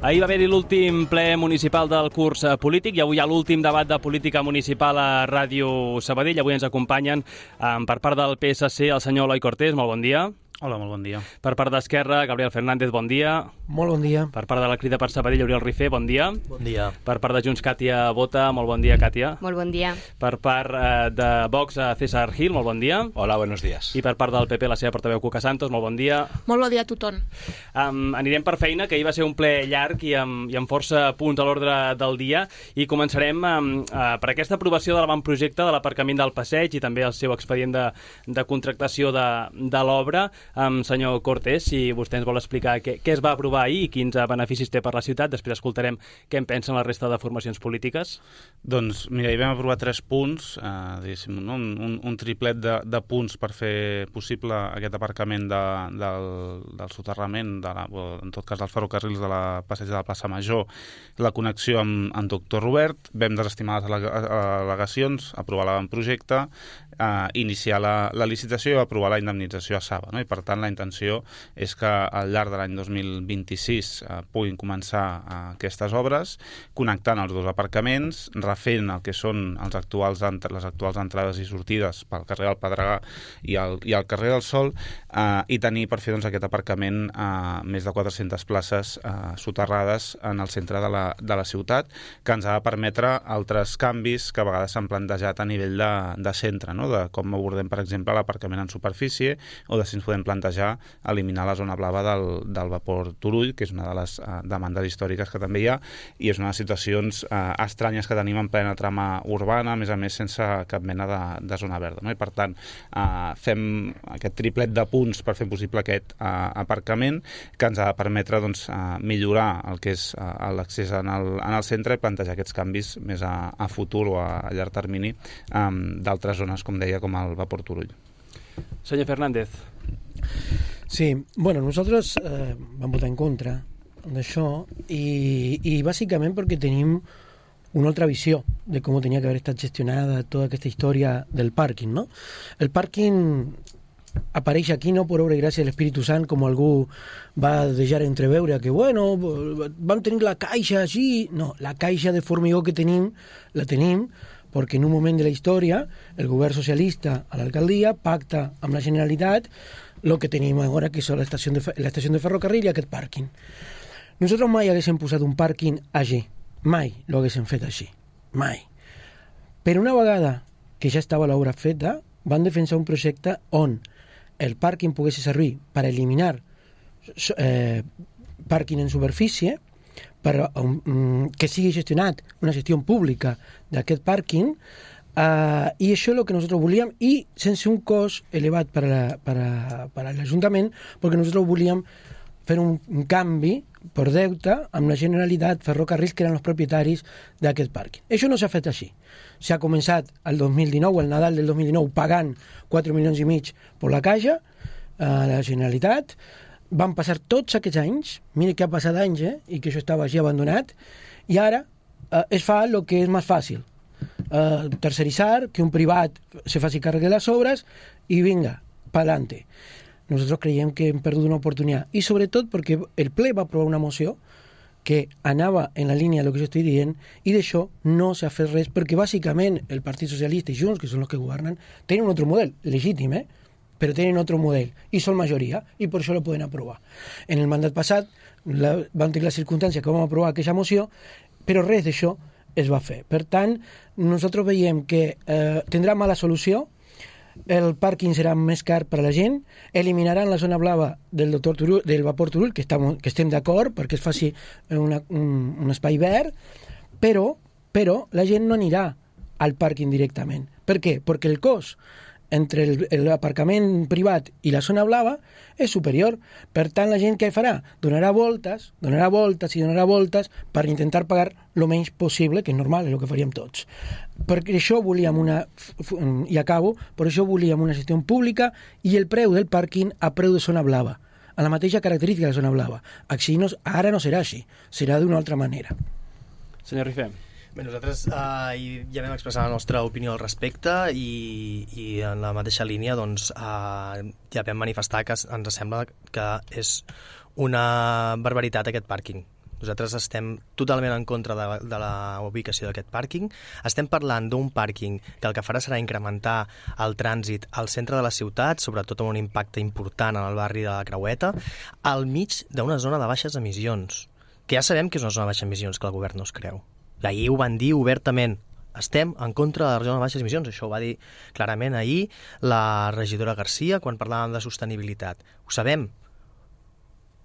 Ahir va haver-hi l'últim ple municipal del curs polític i avui hi ha l'últim debat de política municipal a Ràdio Sabadell. Avui ens acompanyen per part del PSC el senyor Eloi Cortés. Molt bon dia. Hola, molt bon dia. Per part d'Esquerra, Gabriel Fernández, bon dia. Molt bon dia. Per part de la Crida per Sabadell, Oriol Rifé, bon dia. Bon dia. Per part de Junts, Càtia Bota, molt bon dia, Càtia. Molt bon dia. Per part de Vox, César Gil, molt bon dia. Hola, buenos días. I per part del PP, la seva portaveu Cuca Santos, molt bon dia. Molt bon dia a tothom. Anirem per feina, que ahir va ser un ple llarg i amb força punts a l'ordre del dia, i començarem per aquesta aprovació de l'avantprojecte de l'aparcament del Passeig i també el seu expedient de contractació de l'obra. Senyor Cortés, si vostè ens vol explicar què es va aprovar ahir i quins beneficis té per la ciutat, després escoltarem què en pensen la resta de formacions polítiques. Doncs mira, hi vam aprovar 3 punts, un triplet de punts per fer possible aquest aparcament del soterrament, en tot cas dels ferrocarrils de la passeig de la plaça Major, la connexió amb Doctor Robert. Vam desestimar les al·legacions, aprovar l'avantprojecte, iniciar la licitació i aprovar la indemnització a Saba, no? I per tant la intenció és que al llarg de l'any 2026 puguin començar aquestes obres, connectant els dos aparcaments, refent el que són les actuals entrades i sortides pel carrer del Pedregà i el carrer del Sol, i tenir per fer aquest aparcament més de 400 places soterrades en el centre de la ciutat, que ens ha de permetre altres canvis que a vegades s'han plantejat a nivell de centre, no? De com abordem, per exemple, l'aparcament en superfície, o de si ens podem plantejar eliminar la zona blava del vapor Turull, que és una de les demandes històriques que també hi ha, i és una de les situacions estranyes que tenim en plena trama urbana, a més sense cap mena de zona verda, no? I per tant fem aquest triplet de punts per fer possible aquest aparcament, que ens ha de permetre millorar el que és l'accés en el centre i plantejar aquests canvis més a futur o a llarg termini d'altres zones, com deia, com el vapor Turull. Senyor Fernández. Sí, bueno, nosaltres vam votar en contra d'això i bàsicament perquè tenim una altra visió de com tenia que haver estat gestionada tota aquesta història del pàrquing, no? El pàrquing apareix aquí no per obra i gràcia de l'Espíritu Sant, com algú va deixar entreveure, que bueno, vam tenir la caixa així. No, la caixa de formigó que tenim, la tenim perquè en un moment de la història el govern socialista a l'alcaldia pacta amb la Generalitat el que tenim ara, que és l'estació de ferrocarril i aquest pàrquing. Nosaltres mai haguéssim posat un pàrquing allí, mai lo haguéssim fet així, mai. Però una vegada que ja estava l'obra feta, van defensar un projecte on el pàrquing pogués servir per eliminar pàrquing en superfície, que sigui gestionat una gestió pública d'aquest pàrquing, i això és el que nosaltres volíem, i sense un cost elevat per a l'Ajuntament, perquè nosaltres volíem fer un canvi per deute amb la Generalitat, Ferrocarrils, que eren els propietaris d'aquest pàrquing. Això no s'ha fet així. S'ha començat el 2019, el Nadal del 2019, pagant 4 milions i mig per la caixa a la Generalitat. Van passar tots aquests anys, mira que ha passat anys, i que això estava així abandonat, i ara es fa el que és més fàcil, terceritzar, que un privat se faci càrrec de les obres i vinga, pa'lante. Nosaltres creiem que hem perdut una oportunitat, i sobretot perquè el ple va aprovar una moció que anava en la línia del que jo estic dient, i d'això no s'ha fet res, perquè bàsicament el Partit Socialista i Junts, que són els que governen, tenen un altre model, legítim, però tenen otro model i són majoria i per això lo poden aprovar. En el mandat passat vam tenir la circumstància que vam aprovar aquesta moció, però res d'això es va fer. Per tant, nosaltres veiem que tindrà mala solució, el pàrquing serà més car per a la gent, eliminaran la zona blava del vapor Turull, que estem d'acord perquè es faci un espai verd, però la gent no anirà al pàrquing directament. Per què? Perquè el cost entre l'aparcament privat i la zona blava és superior. Per tant, la gent què farà? Donarà voltes per intentar pagar el menys possible, que és normal, és el que faríem tots. Perquè això volíem per això volíem una gestió pública i el preu del pàrquing a preu de zona blava, a la mateixa característica de la zona blava. Ara no serà així, serà d'una altra manera. Senyor Rifé. Bé, nosaltres ja vam expressar la nostra opinió al respecte i en la mateixa línia ja vam manifestar que ens sembla que és una barbaritat aquest pàrquing. Nosaltres estem totalment en contra de la ubicació d'aquest pàrquing. Estem parlant d'un pàrquing que el que farà serà incrementar el trànsit al centre de la ciutat, sobretot amb un impacte important en el barri de la Creueta, al mig d'una zona de baixes emissions, que ja sabem que és una zona de baixes emissions que el govern no es creu. I ahir ho van dir obertament. Estem en contra de la zona de baixes emissions. Això ho va dir clarament ahir la regidora Garcia quan parlàvem de sostenibilitat. Ho sabem,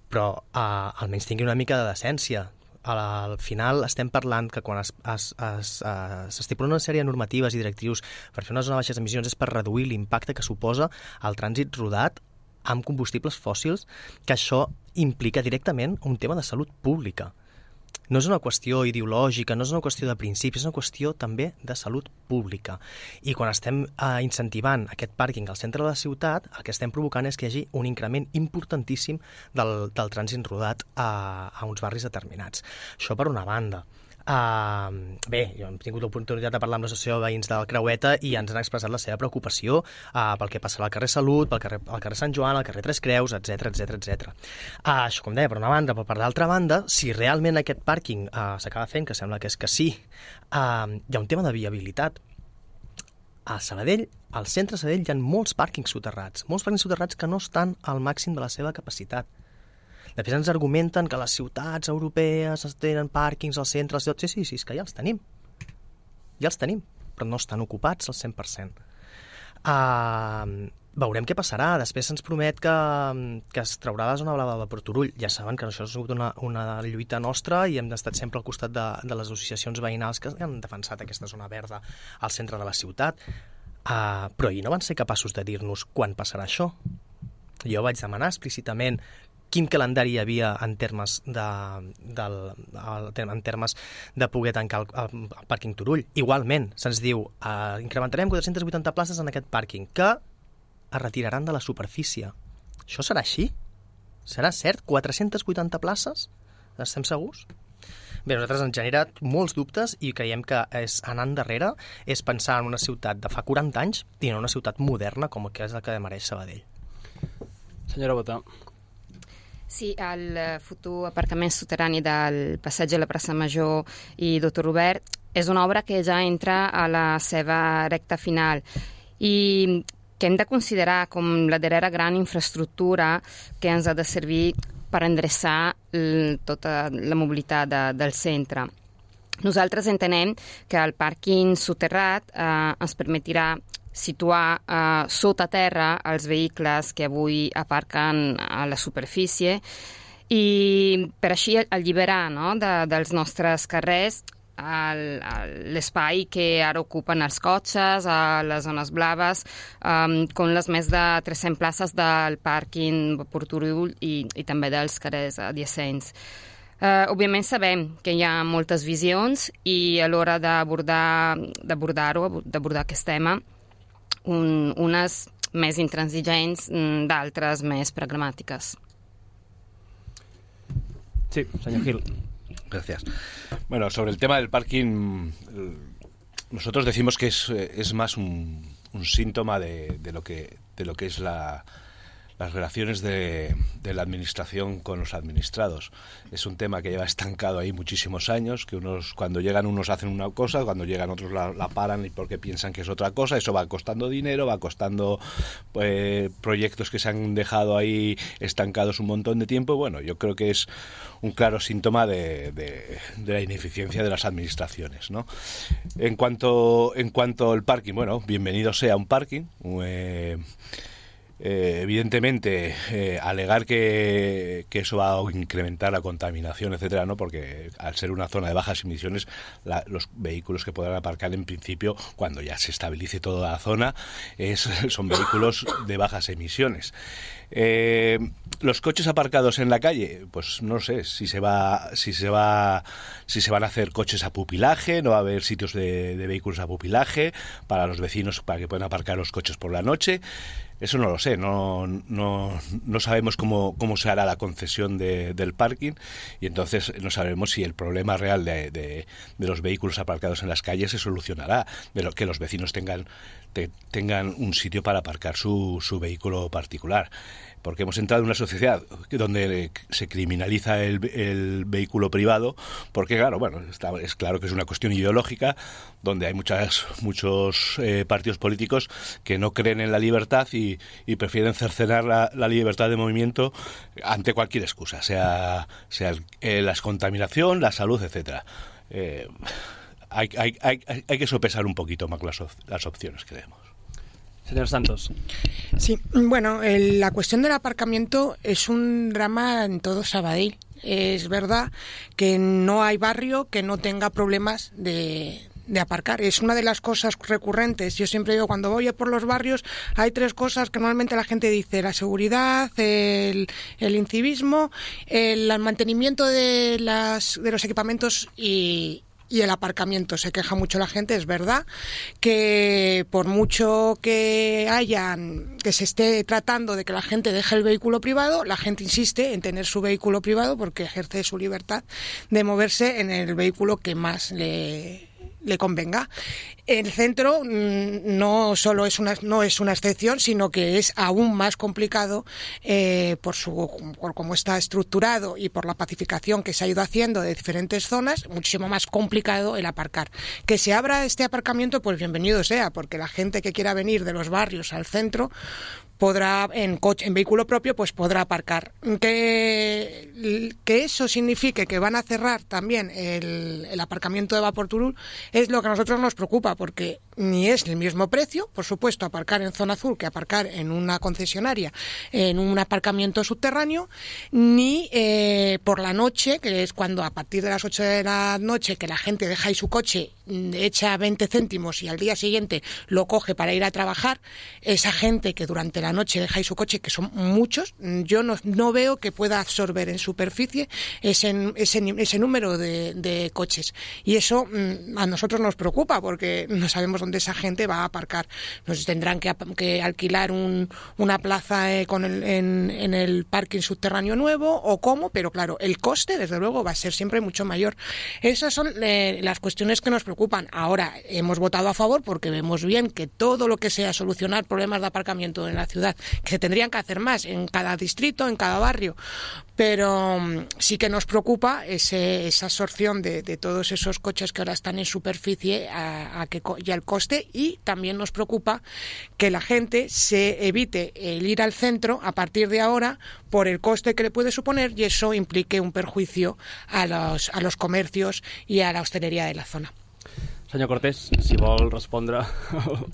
però almenys tingui una mica de decència. Al final estem parlant que quan s'estipulen una sèrie de normatives i directius per fer una zona de baixes emissions és per reduir l'impacte que suposa el trànsit rodat amb combustibles fòssils, que això implica directament un tema de salut pública. No és una qüestió ideològica, no és una qüestió de principis, és una qüestió també de salut pública. I quan estem incentivant aquest pàrquing al centre de la ciutat, el que estem provocant és que hi hagi un increment importantíssim del trànsit rodat a uns barris determinats. Això per una banda. Bé, jo hem tingut l'oportunitat de parlar amb l'associació de veïns del Creueta i ens han expressat la seva preocupació pel que passarà al carrer Salut, al carrer Sant Joan, al carrer Tres Creus, etc. Això, com deia, per una banda, però per l'altra banda, si realment aquest pàrquing s'acaba fent, que sembla que és que sí, hi ha un tema de viabilitat. A Sabadell, al centre de Sabadell, hi ha molts pàrquings soterrats que no estan al màxim de la seva capacitat. Després ens argumenten que les ciutats europees tenen pàrquings al centre, sí, és que ja els tenim, però no estan ocupats al 100%. Veurem què passarà. Després se'ns promet que es traurà la zona blava de Porturull. Ja saben que això ha sigut una lluita nostra i hem estat sempre al costat de les associacions veïnals que han defensat aquesta zona verda al centre de la ciutat, però ahir no van ser capaços de dir-nos quan passarà això. Jo vaig demanar explícitament quin calendari hi havia en termes de poder tancar el pàrquing Turull. Igualment, se'ns diu incrementarem 480 places en aquest pàrquing, que es retiraran de la superfície. Això serà així? Serà cert? 480 places? Estem segurs? Bé, a nosaltres ens genera molts dubtes i creiem que anar endarrere és pensar en una ciutat de fa 40 anys i no una ciutat moderna com que és el que mereix Sabadell. Senyora Botà. Sí, el futur aparcament soterrani del passeig de la plaça Major i Doctor Robert és una obra que ja entra a la seva recta final i que hem de considerar com la darrera gran infraestructura que ens ha de servir per endreçar tota la mobilitat del centre. Nosaltres entenem que el pàrquing soterrat ens permetirà situar sota terra els vehicles que avui aparquen a la superfície i per així alliberar dels nostres carrers l'espai que ara ocupen els cotxes a les zones blaves, com les més de 300 places del pàrquing Porturull i també dels carrers adiacents. Òbviament sabem que hi ha moltes visions i a l'hora d'abordar aquest tema, unes més intransigents, d'altres més pragmàtiques. Sí, señor Gil. Gracias. Bueno, sobre el tema del parking, nosotros decimos que es más un síntoma de lo que es las relaciones de la administración con los administrados. Es un tema que lleva estancado ahí muchísimos años, que cuando llegan unos hacen una cosa, cuando llegan otros la paran y porque piensan que es otra cosa. Eso va costando dinero, va costando proyectos que se han dejado ahí estancados un montón de tiempo. Bueno, yo creo que es un claro síntoma de la ineficiencia de las administraciones, ¿no? En cuanto al parking, bueno, bienvenido sea un parking. Evidentemente, alegar que eso va a incrementar la contaminación, etcétera, ¿no? Porque al ser una zona de bajas emisiones, los vehículos que podrán aparcar en principio, cuando ya se estabilice toda la zona, son vehículos de bajas emisiones. Los coches aparcados en la calle, pues no sé si se van a hacer coches a pupilaje, no va a haber sitios de vehículos a pupilaje para los vecinos para que puedan aparcar los coches por la noche. Eso no lo sé, no sabemos cómo se hará la concesión del parking, y entonces no sabemos si el problema real de los vehículos aparcados en las calles se solucionará, de lo que los vecinos tengan un sitio para aparcar su vehículo particular. Porque hemos entrado en una sociedad donde se criminaliza el vehículo privado, porque claro, es claro que es una cuestión ideológica, donde hay muchos partidos políticos que no creen en la libertad y prefieren cercenar la libertad de movimiento ante cualquier excusa, sea la contaminación, la salud, etcétera. Hay que sopesar un poquito más las opciones, creemos. Señor Santos. Sí, bueno, la cuestión del aparcamiento es un drama en todo Sabadell. Es verdad que no hay barrio que no tenga problemas de aparcar. Es una de las cosas recurrentes. Yo siempre digo, cuando voy por los barrios, hay 3 cosas que normalmente la gente dice: la seguridad, el incivismo, el mantenimiento de los equipamientos y el aparcamiento. Se queja mucho la gente, es verdad que por mucho que se esté tratando de que la gente deje el vehículo privado, la gente insiste en tener su vehículo privado porque ejerce su libertad de moverse en el vehículo que más le convenga. El centro no solo no es una excepción, sino que es aún más complicado por cómo está estructurado y por la pacificación que se ha ido haciendo de diferentes zonas, muchísimo más complicado el aparcar. Que se abra este aparcamiento, pues bienvenido sea, porque la gente que quiera venir de los barrios al centro podrá, en vehículo propio, pues podrá aparcar. Que eso signifique que van a cerrar también el aparcamiento de Vaporturul es lo que a nosotros nos preocupa, porque ni es el mismo precio, por supuesto, aparcar en zona azul que aparcar en una concesionaria, en un aparcamiento subterráneo, ni por la noche, que es cuando a partir de las 8 de la noche que la gente deja ahí su coche, echa 20 céntimos y al día siguiente lo coge para ir a trabajar, esa gente que durante la noche deja ahí su coche, que son muchos, yo no veo que pueda absorber en superficie ese número de coches. Y eso a nosotros nos preocupa, porque no sabemos dónde esa gente va a aparcar. Nos tendrán que alquilar una plaza en el parking subterráneo nuevo o cómo, pero claro, el coste desde luego va a ser siempre mucho mayor. Esas son las cuestiones que nos preocupan. Ahora, hemos votado a favor porque vemos bien que todo lo que sea solucionar problemas de aparcamiento en la ciudad, que se tendrían que hacer más en cada distrito, en cada barrio, pero sí que nos preocupa esa absorción de todos esos coches que ahora están en superficie y al coste, y también nos preocupa que la gente se evite el ir al centro a partir de ahora por el coste que le puede suponer, y eso implique un perjuicio a los comercios y a la hostelería de la zona. Senyor Cortés, si vol respondre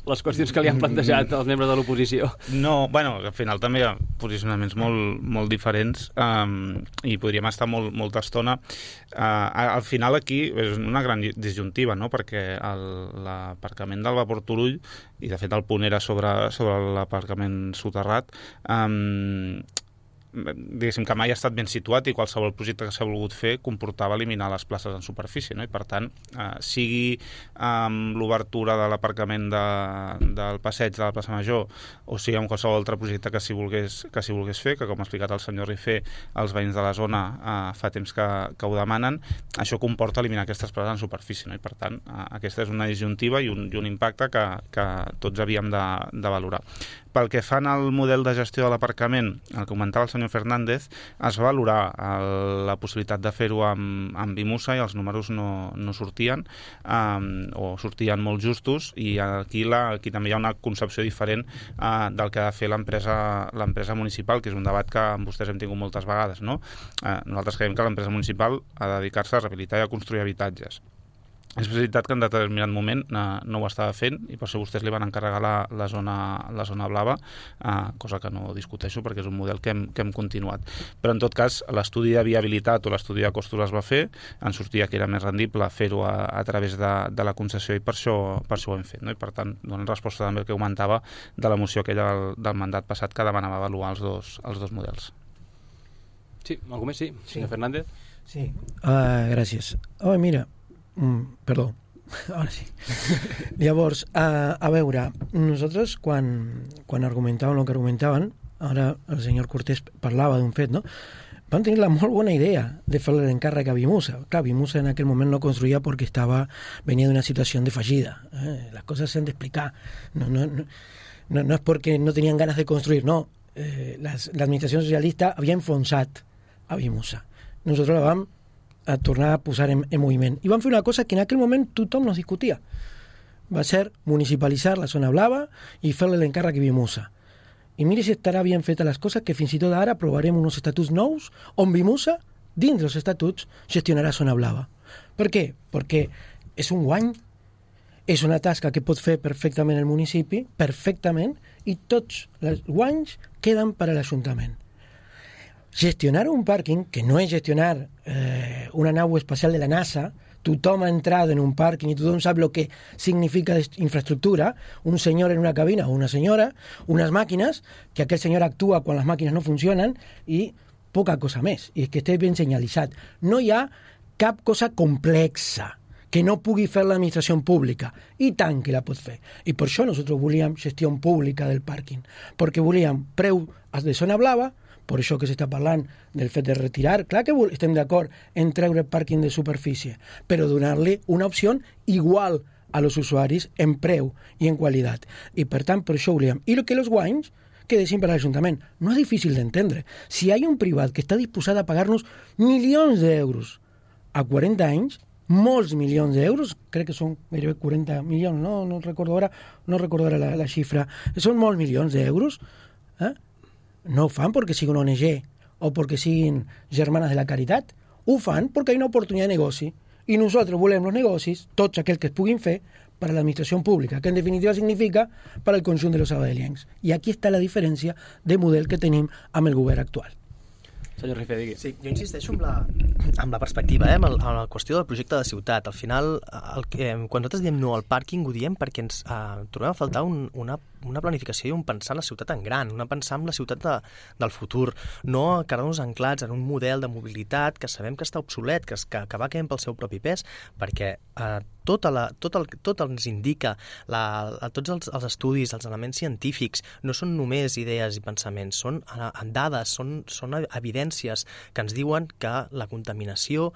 les qüestions que li han plantejat els membres de l'oposició. No, bueno, al final també hi ha posicionaments molt diferents i podríem estar molta estona. Al final aquí és una gran disjuntiva, no? Perquè l'aparcament del Vapor Turull, i de fet el punt era sobre l'aparcament soterrat, diguéssim que mai ha estat ben situat, i qualsevol projecte que s'ha volgut fer comportava eliminar les places en superfície, no? I per tant, sigui amb l'obertura de l'aparcament del passeig de la plaça Major, o sigui amb qualsevol altre projecte que s'hi volgués fer, que com ha explicat el senyor Rifé, els veïns de la zona fa temps que ho demanen, això comporta eliminar aquestes places en superfície, no? I per tant, aquesta és una disjuntiva i un impacte que tots havíem de valorar. Pel que fan al model de gestió de l'aparcament, el que comentava el senyor Fernández, es va valorar la possibilitat de fer-ho amb Bimusa, i els números no sortien, o sortien molt justos, i aquí també hi ha una concepció diferent del que ha de fer l'empresa municipal, que és un debat que amb vostès hem tingut moltes vegades, no? Nosaltres creiem que l'empresa municipal ha de dedicar-se a rehabilitar i a construir habitatges. És veritat que en determinat moment no ho estava fent, i per això vostès li van encarregar la zona blava, cosa que no discuteixo perquè és un model que hem continuat. Però en tot cas, l'estudi de viabilitat o l'estudi de costos es va fer, en sortia que era més rendible fer-ho a través de la concessió, i per això ho hem fet, no? I per tant, donen resposta també al que comentava de la moció aquella del mandat passat que demanava avaluar els dos models. Sí, algú més? Sí, senyor Fernández. Sí, gràcies. Mira, perdó, Ara sí. Llavors, a veure, nosaltres quan argumentàvem el que argumentaven, ara el senyor Cortés parlava d'un fet, no? Van tenir la molt bona idea de fer l'encàrrec a Vimusa. Clar, Vimusa en aquell moment no construïa perquè venia d'una situació de fallida. Les coses s'han d'explicar. No és perquè no tenien ganes de construir, no. L'administració socialista havia enfonsat a Vimusa. Nosaltres la vam a tornar a posar en moviment. I van fer una cosa que en aquell moment tothom no discutia. Va ser municipalitzar la zona blava i fer-li l'encàrrec a Vimusa. I miri si estarà ben fetes les coses, que fins i tot ara aprovarem uns estatuts nous on Vimusa, dins dels estatuts, gestionarà zona blava. Per què? Perquè és un guany, és una tasca que pot fer perfectament el municipi, perfectament, i tots els guanys queden per a l'Ajuntament. Gestionar un pàrquing, que no és gestionar una nau espacial de la NASA, tothom ha entrat en un pàrquing i tothom sap el que significa infraestructura, un senyor en una cabina o una senyora, unes màquines, que aquell senyor actua quan les màquines no funcionen i poca cosa més, i que esté ben senyalitzat. No hi ha cap cosa complexa que no pugui fer l'administració pública, i tant que la pot fer. I per això nosaltres volíem gestió pública del pàrquing, perquè volíem preu de zona blava, per això que s'està parlant del fet de retirar. Clar que estem d'acord en treure el pàrquing de superfície, però donar-li una opció igual a los usuaris en preu i en qualitat. I per tant, per això volíem. I que els guanys quedessin per a l'Ajuntament. No és difícil d'entendre. Si hi ha un privat que està disposat a pagar-nos milions d'euros a 40 anys, molts milions d'euros, crec que són gairebé 40 milions, no recordo ara la xifra, són molts milions d'euros, no ho fan perquè siguin ONG o perquè siguin germanes de la caritat, ho fan perquè hi ha una oportunitat de negoci i nosaltres volem els negocis, tots aquells que es puguin fer, per a l'administració pública, que en definitiva significa per al conjunt de los sabadelians. I aquí està la diferència de model que tenim amb el govern actual. Senyor Rifé, digui. Sí, jo insisteixo amb la perspectiva, amb la qüestió del projecte de ciutat. Al final, quan nosaltres diem no al pàrquing, ho diem perquè ens trobem a faltar una planificació i un pensar en la ciutat en gran, una pensar en la ciutat del futur, no quedar-nos anclats en un model de mobilitat que sabem que està obsolet, que va caient pel seu propi pes, perquè tot ens indica, tots els estudis, els elements científics, no són només idees i pensaments, són dades, són evidències que ens diuen que la contaminació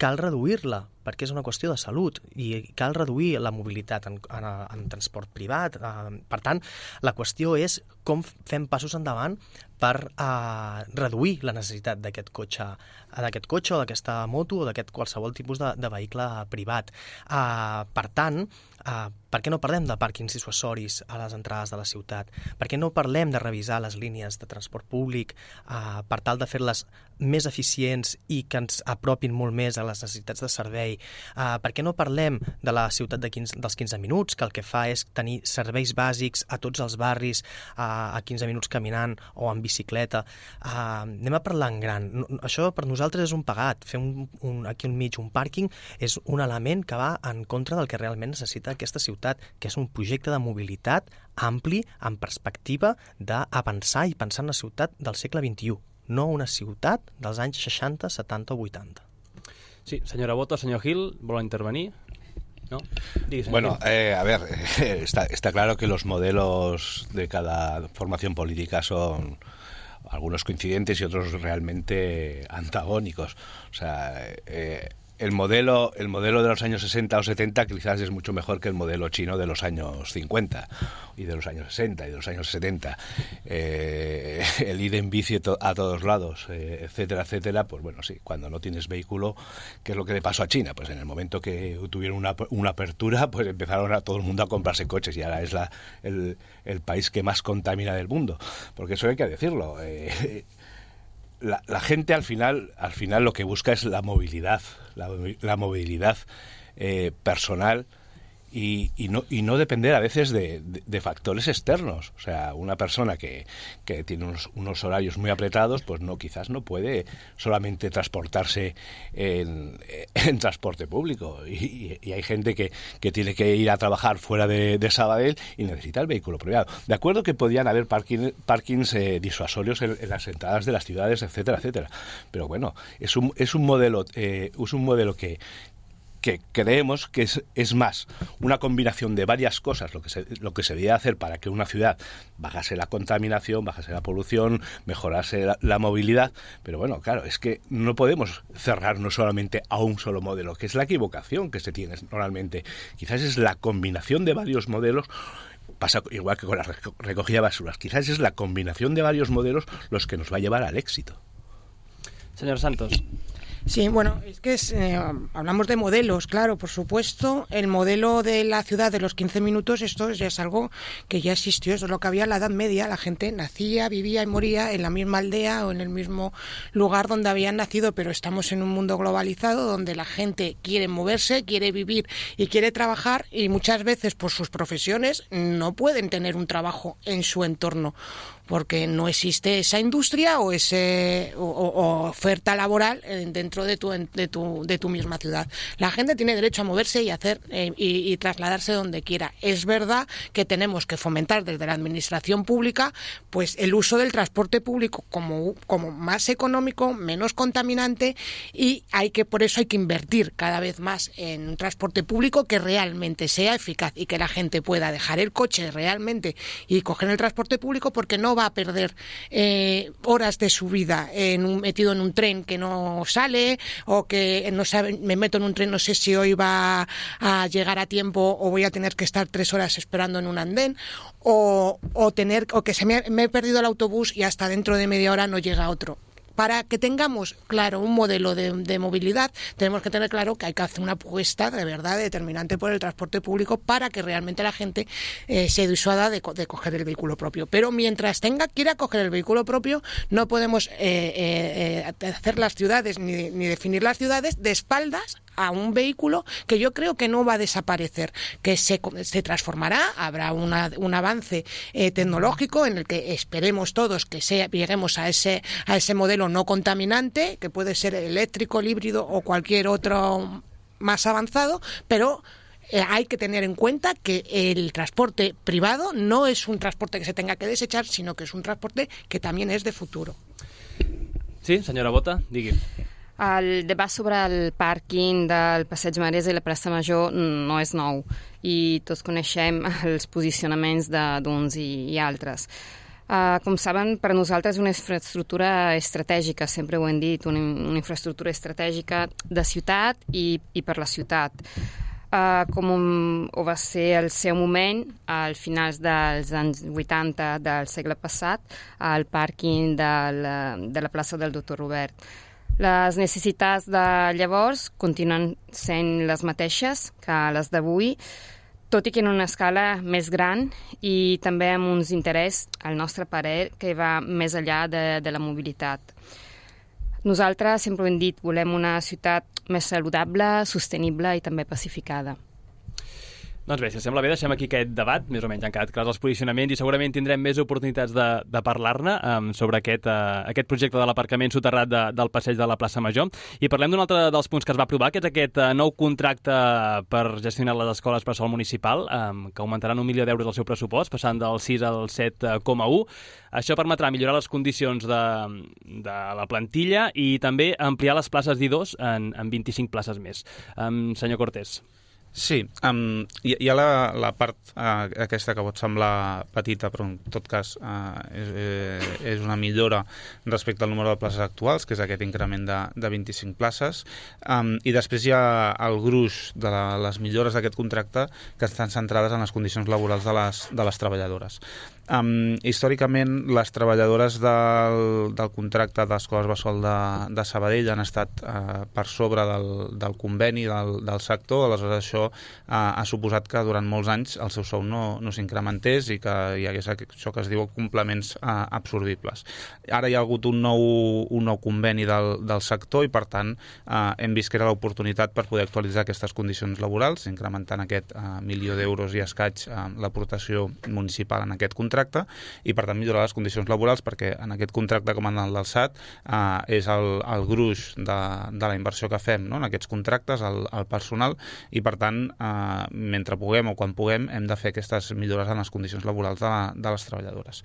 cal reduir-la, perquè és una qüestió de salut i cal reduir la mobilitat en transport privat. Per tant, la qüestió és com fem passos endavant per reduir la necessitat d'aquest cotxe o d'aquesta moto o d'aquest qualsevol tipus de vehicle privat. Per tant, per què no parlem de pàrquings dissuasoris a les entrades de la ciutat? Per què no parlem de revisar les línies de transport públic per tal de fer-les més eficients i que ens apropin molt més a les necessitats de servei? Per què no parlem de la ciutat dels 15 minuts, que el que fa és tenir serveis bàsics a tots els barris a 15 minuts caminant o en bicicleta? Anem a parlar en gran. Això per nosaltres és un pagat. Fer aquí al mig un pàrquing és un element que va en contra del que realment necessita aquesta ciutat, que és un projecte de mobilitat ampli, en perspectiva d'avançar i pensar en la ciutat del segle XXI, no una ciutat dels anys 60, 70 o 80. Sí, senyora Boto, senyor Gil, ¿vol intervenir? ¿No? Bueno, a ver, está claro que los modelos de cada formación política son algunos coincidentes y otros realmente antagónicos. O sea, el modelo de los años 60 o 70 quizás es mucho mejor que el modelo chino de los años 50 y de los años 60 y de los años 70. El ir en bici a todos lados, etcétera, etcétera, pues bueno, sí, cuando no tienes vehículo, ¿qué es lo que le pasó a China? Pues en el momento que tuvieron una apertura, pues empezaron a todo el mundo a comprarse coches y ahora es el país que más contamina del mundo. Porque eso hay que decirlo. La gente al final lo que busca es la movilidad, la movilidad personal y no depender a veces de factores externos. O sea, una persona que tiene unos horarios muy apretados, pues quizás no puede solamente transportarse en transporte público. Y hay gente que tiene que ir a trabajar fuera de Sabadell y necesita el vehículo privado. De acuerdo que podían haber parkings disuasorios en las entradas de las ciudades, etcétera, etcétera. Pero bueno, es un modelo que que creemos que es más una combinación de varias cosas lo que se debía hacer para que una ciudad bajase la contaminación, bajase la polución, mejorase la movilidad, pero bueno, claro, es que no podemos cerrarnos solamente a un solo modelo, que es la equivocación que se tiene normalmente. Quizás es la combinación de varios modelos. Pasa igual que con la recogida de basuras. Quizás es la combinación de varios modelos los que nos va a llevar al éxito. Señor Santos. Sí, bueno, es que hablamos de modelos, claro, por supuesto. El modelo de la ciudad de los 15 minutos, esto ya es algo que ya existió, eso es lo que había en la Edad Media. La gente nacía, vivía y moría en la misma aldea o en el mismo lugar donde habían nacido, pero estamos en un mundo globalizado donde la gente quiere moverse, quiere vivir y quiere trabajar, y muchas veces por sus profesiones no pueden tener un trabajo en su entorno, porque no existe esa industria o oferta laboral dentro de tu misma ciudad. La gente tiene derecho a moverse y hacer y trasladarse donde quiera. Es verdad que tenemos que fomentar desde la administración pública pues el uso del transporte público como más económico, menos contaminante, y por eso hay que invertir cada vez más en un transporte público que realmente sea eficaz y que la gente pueda dejar el coche realmente y coger el transporte público, porque no va a perder horas de su vida metido en un tren que no sale, o que no sabe, me meto en un tren, no sé si hoy va a llegar a tiempo o voy a tener que estar 3 horas esperando en un andén, o que me he perdido el autobús y hasta dentro de media hora no llega otro. Para que tengamos claro un modelo de movilidad, tenemos que tener claro que hay que hacer una apuesta de verdad determinante por el transporte público para que realmente la gente se disuada de coger el vehículo propio. Pero mientras quiera coger el vehículo propio, no podemos hacer las ciudades ni definir las ciudades de espaldas a un vehículo que yo creo que no va a desaparecer, que se transformará, habrá un avance tecnológico en el que esperemos todos que lleguemos a ese modelo no contaminante, que puede ser eléctrico, el híbrido o cualquier otro más avanzado, pero hay que tener en cuenta que el transporte privado no es un transporte que se tenga que desechar, sino que es un transporte que también es de futuro. Sí, senyora Bota, digui. El debat sobre el pàrquing del Passeig Marès i la plaça Major no és nou i tots coneixem els posicionaments d'uns i altres. Com saben, per a nosaltres és una infraestructura estratègica, sempre ho hem dit, una infraestructura estratègica de ciutat i per la ciutat. Com ho va ser el seu moment, al finals dels anys 80 del segle passat, al pàrquing de la plaça del Doctor Robert. Les necessitats de llavors continuen sent les mateixes que les d'avui, tot i que en una escala més gran i també amb uns interès, al nostre parer, que va més enllà de la mobilitat. Nosaltres sempre ho hem dit, volem una ciutat més saludable, sostenible i també pacificada. Doncs bé, si sembla bé, deixem aquí aquest debat, més o menys han quedat clars els posicionaments i segurament tindrem més oportunitats de parlar-ne sobre aquest projecte de l'aparcament soterrat del passeig de la plaça Major. I parlem d'un altre dels punts que es va aprovar, que és aquest nou contracte per gestionar les escoles per sol municipal, que augmentaran 1 milió d'euros del seu pressupost, passant del 6 al 7,1. Això permetrà millorar les condicions de la plantilla i també ampliar les places d'I2 en 25 places més. Senyor Cortés. Sí, hi ha la part aquesta que pot semblar petita, però en tot cas és una millora respecte al número de places actuals, que és aquest increment de 25 places, i després hi ha el gruix de les millores d'aquest contracte que estan centrades en les condicions laborals de les treballadores. Històricament, les treballadores del contracte d'Escoles Bressol de Sabadell han estat per sobre del conveni del sector, aleshores això ha suposat que durant molts anys el seu sou no s'incrementés i que hi hagués això que es diu complements absorbibles. Ara hi ha hagut un nou conveni del sector i, per tant, hem vist que era l'oportunitat per poder actualitzar aquestes condicions laborals, incrementant aquest 1 milió d'euros i escaig l'aportació municipal en aquest contracte, contracte i per tant millorar les condicions laborals, perquè en aquest contracte com en el del SAT és el gruix de la inversió que fem, no?, en aquests contractes, el personal, i per tant mentre puguem o quan puguem hem de fer aquestes millores en les condicions laborals de les treballadores.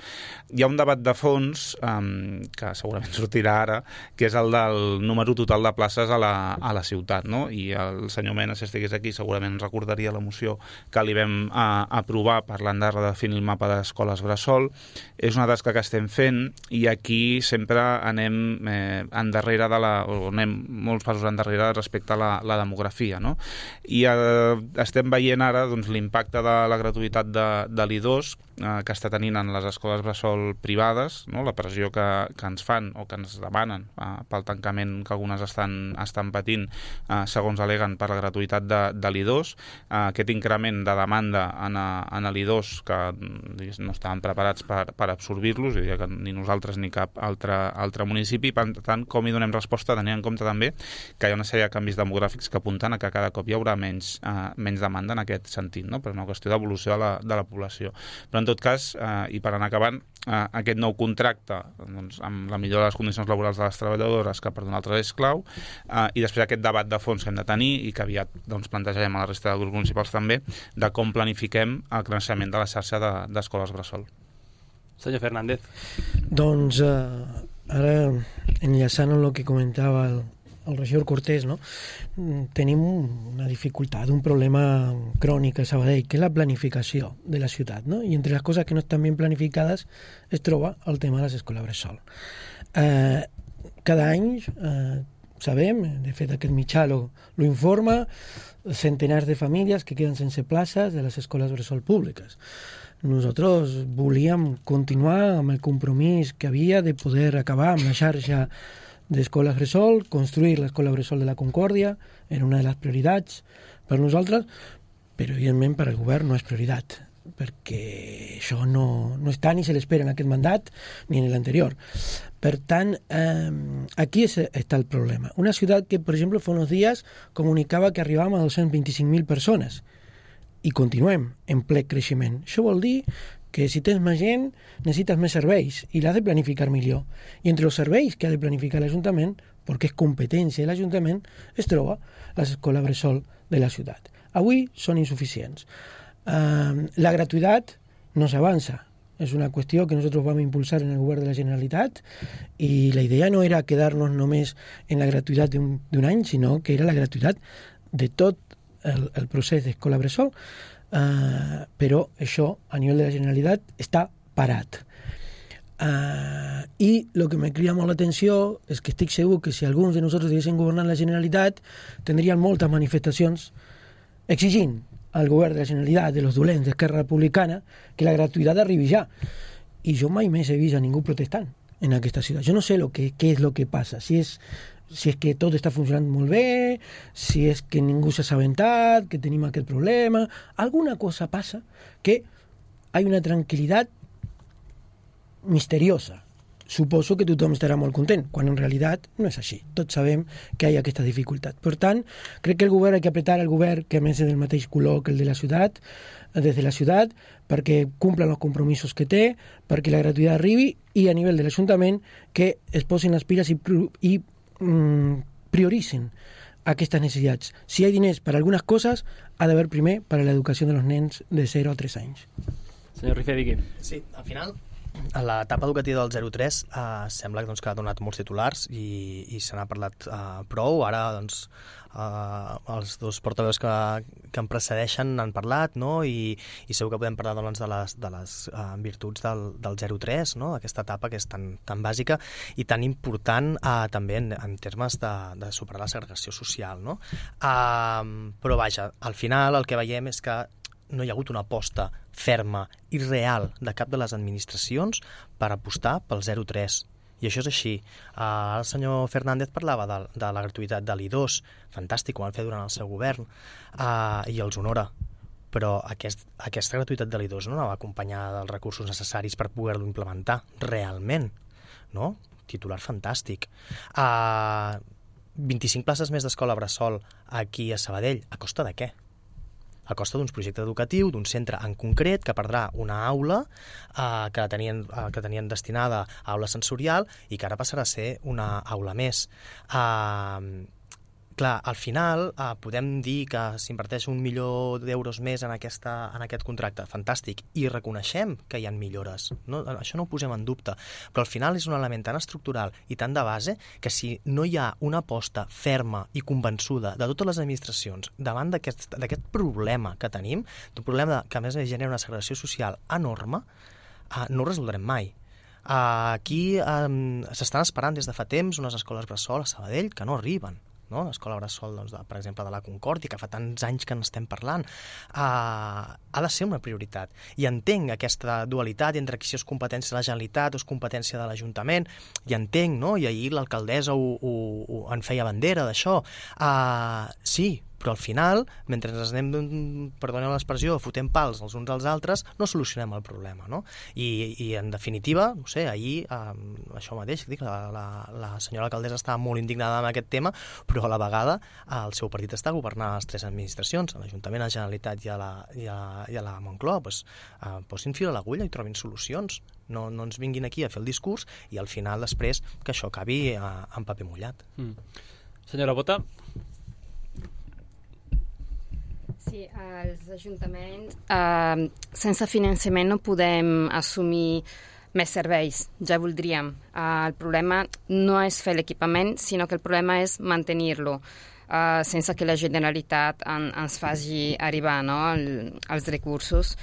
Hi ha un debat de fons que segurament sortirà ara, que és el del número total de places a la ciutat, no? I el senyor Mena, si estigués aquí, segurament recordaria la moció que li vam aprovar parlant de redefinir el mapa d'escoles bressol. És una tasca que estem fent i aquí sempre anem endarrere o anem molts passos endarrere respecte a la demografia, no? I estem veient ara doncs, l'impacte de la gratuïtat de l'I2 que està tenint en les escoles bressol privades, no? La pressió que ens fan o que ens demanen pel tancament que algunes estan patint segons aleguen per la gratuïtat de l'I2, aquest increment de demanda en l'I2 que no estaven preparats per absorbir-los, diria que ni nosaltres ni cap altre municipi. Per tant, com hi donem resposta tenint en compte també que hi ha una sèrie de canvis demogràfics que apunten a que cada cop hi haurà menys demanda en aquest sentit, no? Per una qüestió d'evolució de la població. Però en tot cas, i per anar acabant, aquest nou contracte doncs, amb la millora de les condicions laborals de les treballadores, que per nosaltres és clau, i després aquest debat de fons que hem de tenir i que aviat doncs, plantejarem a la resta de grups municipals també, de com planifiquem el creixement de la xarxa d'escoles bressol. Senyor Fernández. Doncs ara, enllaçant amb el que comentava el regidor Cortés, no? Tenim una dificultat, un problema crònic a Sabadell, que és la planificació de la ciutat, no? I entre les coses que no estan ben planificades es troba el tema de les escoles bressol. Cada any sabem, de fet aquest mitjà lo informa, centenars de famílies que queden sense places de les escoles bressol públiques. Nosaltres volíem continuar amb el compromís que havia de poder acabar amb la xarxa d'escoles bressol, construir l'escola bressol de la Concòrdia, era una de les prioritats per nosaltres, però evidentment per al govern no és prioritat, perquè això no està ni se l'espera en aquest mandat ni en l'anterior. Per tant, aquí està el problema. Una ciutat que, per exemple, fa uns dies comunicava que arribàvem a 225.000 persones i continuem en ple creixement. Això vol dir que si tens més gent necessites més serveis i l'has de planificar millor. I entre els serveis que ha de planificar l'Ajuntament, perquè és competència de l'Ajuntament, es troba les escoles bressol de la ciutat. Avui són insuficients. La gratuïtat no s'avança. És una qüestió que nosaltres vam impulsar en el govern de la Generalitat i la idea no era quedar-nos només en la gratuïtat d'un any, sinó que era la gratuïtat de tot el procés d'escola bressol, però això a nivell de la Generalitat està parat. I el que me crida molt l'atenció és que estic segur que si alguns de nosaltres diguessin governar la Generalitat tindrien moltes manifestacions exigint al govern de la Generalitat, de los dolents d'Esquerra Republicana, que la gratuïtat arribi ja. I jo mai més he vist a ningú protestant en aquesta ciutat. Jo no sé què és el que passa, si és que tot està funcionant molt bé, si és que ningú s'ha assabentat, que tenim aquest problema. Alguna cosa passa que hi ha una tranquil·litat misteriosa. Suposo que tothom estarà molt content, quan en realitat no és així. Tots sabem que hi ha aquesta dificultat. Per tant, crec que el govern ha que apretar el govern que a més és del mateix color que el de la ciutat, des de la ciutat, perquè cumplen els compromisos que té, perquè la gratuïtat arribi i a nivell de l'Ajuntament que es posin les piles i prioritzen aquestes necessitats. Si hi ha diners per a algunes coses, ha d'haver primer per a l'educació dels nens de 0 a 3 anys. Senyor Rifé, digui. Sí, al final, a l'etapa educativa del 0-3 sembla doncs, que ha donat molts titulars i se n'ha parlat prou. Ara doncs, els dos portaveus que em precedeixen han parlat, no? I segur que podem parlar doncs, de les virtuts del 0-3, no? Aquesta etapa que és tan bàsica i tan important també en termes de superar la segregació social, no? Però vaja, al final el que veiem és que no hi ha hagut una aposta ferma i real de cap de les administracions per apostar pel 0-3. I això és així. El senyor Fernández parlava de la gratuïtat de l'I2. Fantàstic, ho van fer durant el seu govern i els honora. Però aquesta gratuïtat de l'I2 no anava acompanyada dels recursos necessaris per poder-lo implementar realment. No? Titular fantàstic. 25 places més d'escola bressol aquí a Sabadell. A costa de què? a costa d'un projecte educatiu, d'un centre en concret que perdrà una aula que tenien destinada a aula sensorial i que ara passarà a ser una aula més. Clar, al final podem dir que s'inverteix 1 milió d'euros més en aquest contracte, fantàstic, i reconeixem que hi ha millores, no? Això no ho posem en dubte, però al final és un element tan estructural i tan de base que si no hi ha una aposta ferma i convençuda de totes les administracions davant d'aquest problema que tenim, d'un problema que a més genera una segregació social enorme, no ho resoldrem mai. Aquí s'estan esperant des de fa temps unes escoles bressol a Sabadell que no arriben, no? L'escola bressol, doncs, per exemple, de la Concòrdia, que fa tants anys que n'estem parlant, ha de ser una prioritat. I entenc aquesta dualitat entre si és competència de la Generalitat o és competència de l'Ajuntament, i entenc, no? I ahir l'alcaldessa en feia bandera d'això. Sí, però al final, mentre ens anem, perdoneu l'expressió, fotent pals els uns als altres, no solucionem el problema, no? I en definitiva, no sé, ahir, això mateix, dic, la senyora alcaldessa estava molt indignada amb aquest tema, però a la vegada el seu partit està governant les 3 administracions, l'Ajuntament, la Generalitat i a la Moncloa, posin fil a l'agulla i trobin solucions. No ens vinguin aquí a fer el discurs i al final després que això acabi en paper mullat. Senyora Bota. Sí, els ajuntaments sense finançament no podem assumir més serveis, ja voldríem. El problema no és fer l'equipament, sinó que el problema és mantenir-lo, sense que la Generalitat ens faci arribar, no, els recursos.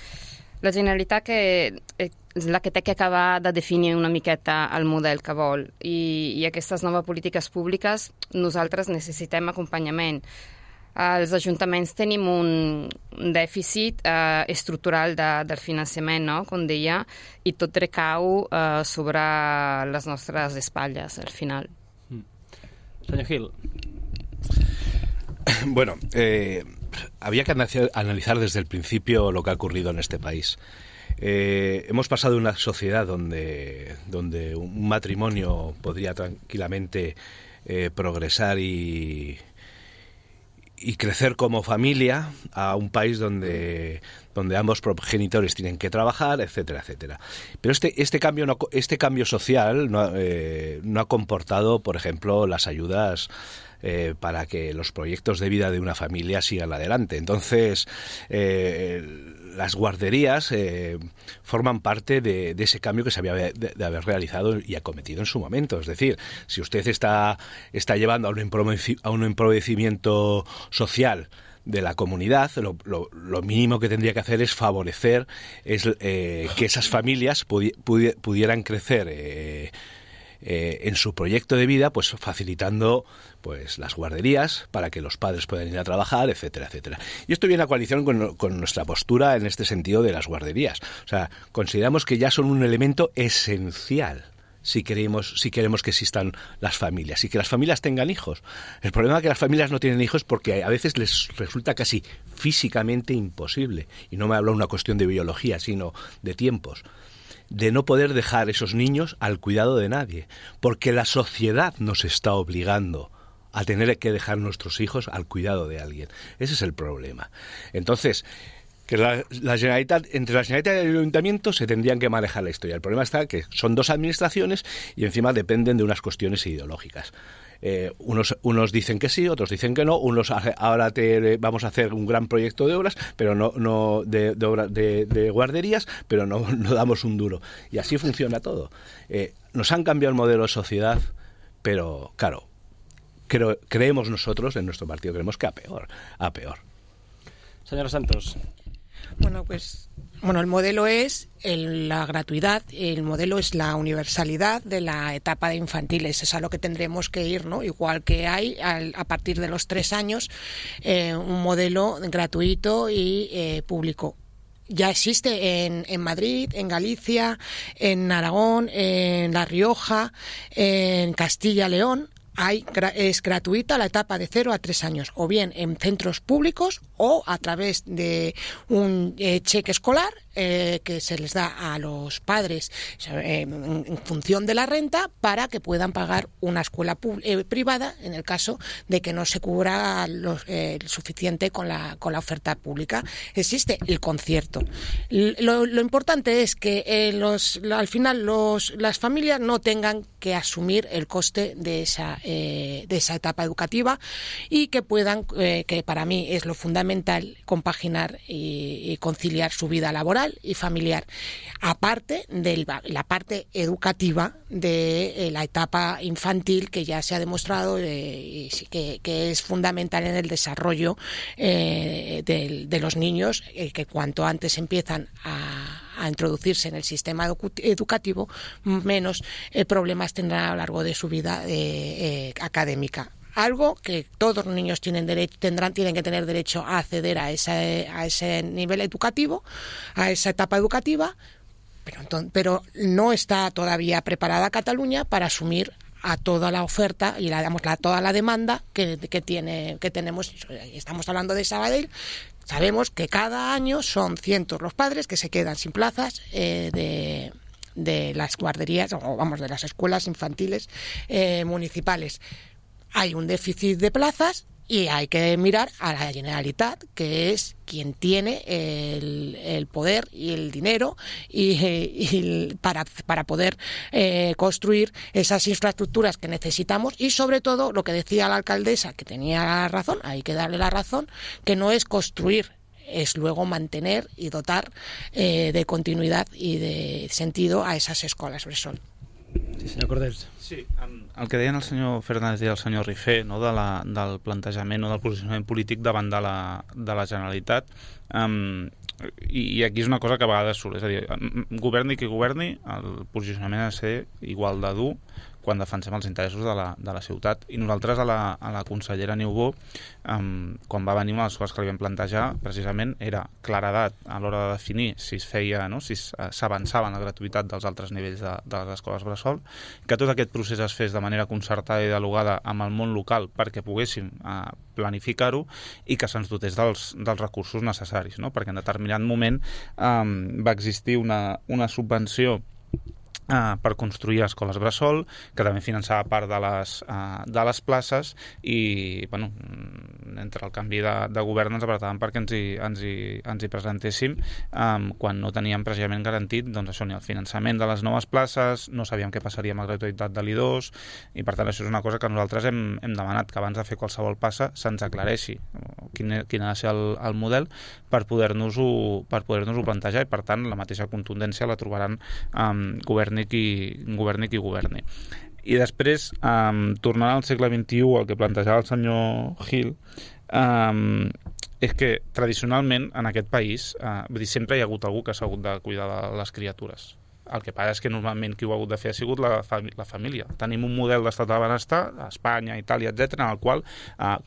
La Generalitat és la que té que acabar de definir una miqueta el model que vol i aquestes noves polítiques públiques nosaltres necessitem acompanyament. Els ajuntaments tenim un dèficit estructural del finançament, no? Com deia, i tot recau sobre les nostres espatlles, al final. Senyor Gil. Bueno, había que analizar desde el principio lo que ha ocurrido en este país. Hemos pasado de una sociedad donde un matrimonio podría tranquilamente progresar y crecer como familia a un país donde ambos progenitores tienen que trabajar, etcétera, etcétera. Pero este cambio social no ha comportado, por ejemplo, las ayudas para que los proyectos de vida de una familia sigan adelante. Entonces, las guarderías forman parte de ese cambio que se había de haber realizado y acometido en su momento. Es decir, si usted está llevando a un empobrecimiento social de la comunidad, lo mínimo que tendría que hacer es favorecer que esas familias pudieran crecer en su proyecto de vida, pues facilitando pues las guarderías para que los padres puedan ir a trabajar, etcétera, etcétera. Y esto viene a coalición con nuestra postura en este sentido de las guarderías. O sea, consideramos que ya son un elemento esencial si queremos que existan las familias y que las familias tengan hijos. El problema es que las familias no tienen hijos porque a veces les resulta casi físicamente imposible, y no me hablo de una cuestión de biología, sino de tiempos, de no poder dejar esos niños al cuidado de nadie, porque la sociedad nos está obligando a tener que dejar nuestros hijos al cuidado de alguien. Ese es el problema. Entonces, que la Generalitat, entre la Generalitat y el Ayuntamiento se tendrían que manejar la historia. El problema está que son dos administraciones y encima dependen de unas cuestiones ideológicas. Unos dicen que sí, otros dicen que no. Unos ahora vamos a hacer un gran proyecto de obras, pero no de guarderías, pero no damos un duro. Y así funciona todo. Nos han cambiado el modelo de sociedad, pero claro, creemos nosotros, en nuestro partido, creemos que a peor. Señora Santos. Bueno, pues el modelo es la gratuidad, el modelo es la universalidad de la etapa de infantiles, es a lo que tendremos que ir, ¿no? Igual que hay a partir de los 3 años un modelo gratuito y público. Ya existe en Madrid, en Galicia, en Aragón, en La Rioja, en Castilla y León. Es gratuita la etapa de 0 a 3 años, o bien en centros públicos o a través de un cheque escolar que se les da a los padres en función de la renta para que puedan pagar una escuela privada en el caso de que no se cubra el suficiente con la oferta pública. Existe el concierto. Lo importante es que al final las familias no tengan que asumir el coste de esa etapa educativa y que puedan, que para mí es lo fundamental, compaginar y conciliar su vida laboral y familiar, aparte de la parte educativa de la etapa infantil, que ya se ha demostrado que es fundamental en el desarrollo de los niños, que cuanto antes empiezan a introducirse en el sistema educativo, menos problemas tendrán a lo largo de su vida académica. Algo que todos los niños tienen que tener derecho a acceder a ese nivel educativo, a esa etapa educativa, pero no está todavía preparada Cataluña para asumir a toda la oferta y toda la demanda que tenemos. Estamos hablando de Sabadell. Sabemos que cada año son cientos los padres que se quedan sin plazas de las guarderías, de las escuelas infantiles municipales. Hay un déficit de plazas y hay que mirar a la Generalitat, que es quien tiene el poder y el dinero para poder construir esas infraestructuras que necesitamos, y sobre todo lo que decía la alcaldesa, que tenía razón, hay que darle la razón, que no es construir, es luego mantener y dotar de continuidad y de sentido a esas escoles bressol. Sí, senyor Cordés. Sí, el que deien el senyor Fernández i el senyor Rifé, no, del plantejament o del posicionament polític davant de la Generalitat, i aquí és una cosa que a vegades surt, és a dir, governi qui governi, el posicionament ha de ser igual de dur quan defensem els interessos de la ciutat. I nosaltres a la consellera Niubó, quan va venir, una de les coses que li vam plantejar precisament era claredat a l'hora de definir si es feia, no, si s'avançava en la gratuïtat dels altres nivells de les escoles bressol, que tot aquest procés es fes de manera concertada i dialogada amb el món local perquè poguéssim planificar-ho i que se'ns dotés dels recursos necessaris, no? Perquè en determinat moment va existir una subvenció per construir escoles bressol, que també finançava part de les places, i bueno, entre el canvi de govern ens apretàvem perquè ens hi presentéssim quan no teníem precisament garantit, doncs això, ni el finançament de les noves places, no sabíem què passaria amb la gratuïtat de l'I2, i per tant això és una cosa que nosaltres hem demanat, que abans de fer qualsevol passa se'ns aclareixi quin ha de ser el model per poder-nos-ho plantejar, i per tant la mateixa contundència la trobaran governi qui governi. I després, tornant al segle XXI, el que plantejava el senyor Gil, és que tradicionalment en aquest país sempre hi ha hagut algú que s'ha hagut de cuidar de les criatures. El que passa és que normalment qui ho ha hagut de fer ha sigut la família. Tenim un model d'estat de benestar, a Espanya, Itàlia, etc., en el qual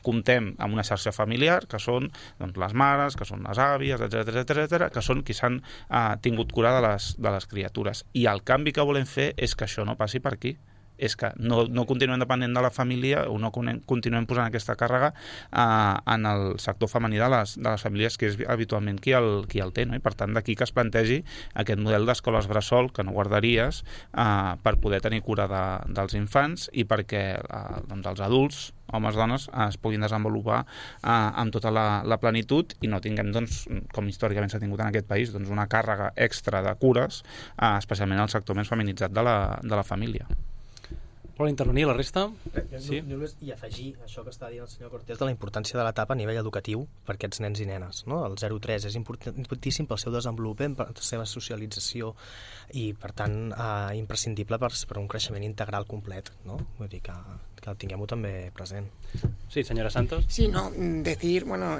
comptem amb una xarxa familiar, que són doncs, les mares, que són les àvies, etc., que són qui s'han tingut cura de les criatures. I el canvi que volem fer és que això no passi per aquí. És que no continuem depenent de la família, o no continuem posant aquesta càrrega en el sector femení de les famílies, que és habitualment qui el té, no? I per tant d'aquí que es plantegi aquest model d'escoles bressol, que no guarderies, per poder tenir cura dels infants i perquè doncs, els adults, homes, dones, es puguin desenvolupar amb tota la plenitud i no tinguem, doncs, com històricament s'ha tingut en aquest país, doncs, una càrrega extra de cures, especialment al sector més feminitzat de la família. Vol intervenir la resta? Sí. I afegir això que està dient el senyor Cortés de la importància de l'etapa a nivell educatiu per aquests nens i nenes, no? El 0-3 és importantíssim pel seu desenvolupament, per la seva socialització i, per tant, imprescindible per un creixement integral complet, no? Vull dir que tinguem-ho també present. Sí, señora Santos. Sí, no, decir, bueno,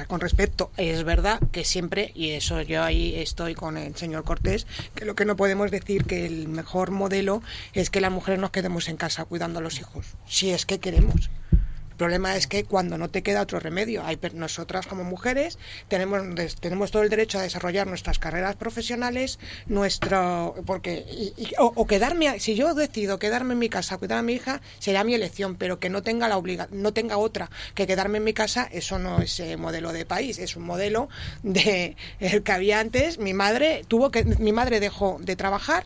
con respecto, es verdad que siempre, y eso yo ahí estoy con el señor Cortés, que lo que no podemos decir que el mejor modelo es que las mujeres nos quedemos en casa cuidando a los hijos, si es que queremos. problema es que cuando no te queda otro remedio, nosotras como mujeres tenemos todo el derecho a desarrollar nuestras carreras profesionales, si yo decido quedarme en mi casa a cuidar a mi hija, será mi elección, pero que no tenga otra que quedarme en mi casa, eso no es modelo de país, es un modelo de el que había antes. Mi madre dejó de trabajar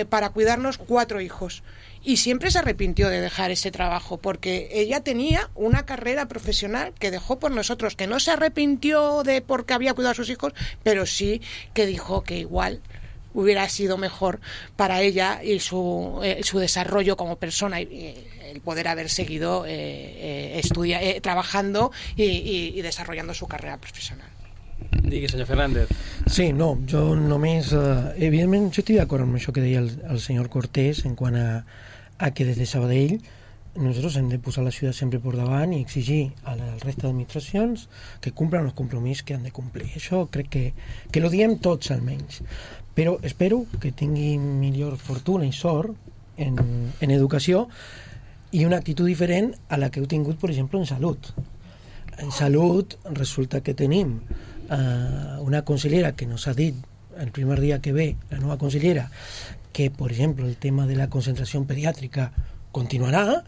para cuidarnos 4 hijos y siempre se arrepintió de dejar ese trabajo porque ella tenía una carrera profesional que dejó por nosotros, que no se arrepintió de porque había cuidado a sus hijos, pero sí que dijo que igual hubiera sido mejor para ella y su desarrollo como persona y el poder haber seguido trabajando y desarrollando su carrera profesional. Digui, senyor Fernández. Sí, no, jo només... evidentment, jo estic d'acord amb això que deia el senyor Cortés en quant a que des de Sabadell nosotros hem de posar la ciutat sempre por davant i exigir a la resta d'administracions que cumplan els compromisos que han de complir. Això crec que lo diem tots almenys. Però espero que tingui millor fortuna i sort en educació i una actitud diferent a la que heu tingut, per exemple, en salut. En salut resulta que tenim una consellera que nos ha dit el primer dia que ve, la nova consellera, que, per exemple, el tema de la concentració pediàtrica continuarà,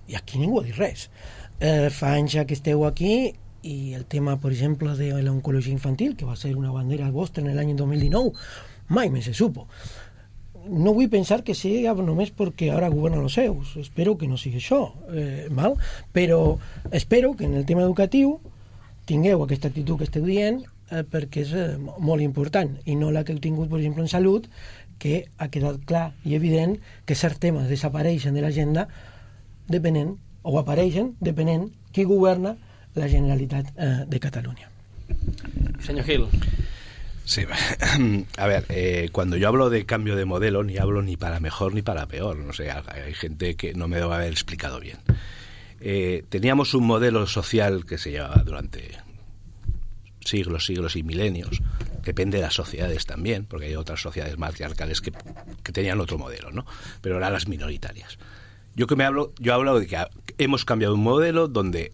i aquí ningú ha dit res. Fa anys ja que esteu aquí i el tema, per exemple, de l'oncologia infantil, que va ser una bandera vostra en l'any 2019, mai més se supo. No vull pensar que sigui només perquè ara governen els seus. Espero que no sigui això, però espero que en el tema educatiu tingueu aquesta actitud que esteu dient perquè és molt important i no la que heu tingut, per exemple, en salut, que ha quedat clar i evident que certs temes desapareixen de l'agenda depenent, o apareixen depenent qui governa la Generalitat de Catalunya. Senyor Gil. Sí, a ver, cuando yo hablo de cambio de modelo, ni hablo ni para mejor ni para peor. No sé, hay gente que no me debe haber explicado bien. Teníamos un modelo social que se llevaba durante siglos y milenios. Depende de las sociedades también, porque hay otras sociedades matriarcales que tenían otro modelo, ¿no? Pero eran las minoritarias. Yo hablo de que hemos cambiado un modelo donde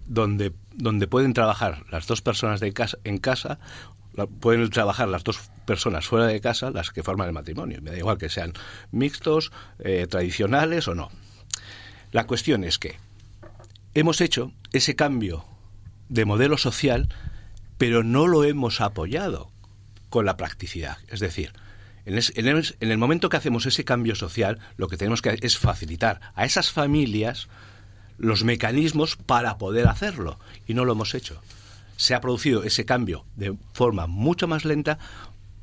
pueden trabajar las dos personas en casa, pueden trabajar las dos personas fuera de casa, las que forman el matrimonio. Me da igual que sean mixtos, tradicionales o no. La cuestión es que hemos hecho ese cambio de modelo social, pero no lo hemos apoyado con la practicidad. Es decir, en el momento que hacemos ese cambio social, lo que tenemos que hacer es facilitar a esas familias los mecanismos para poder hacerlo, y no lo hemos hecho. Se ha producido ese cambio de forma mucho más lenta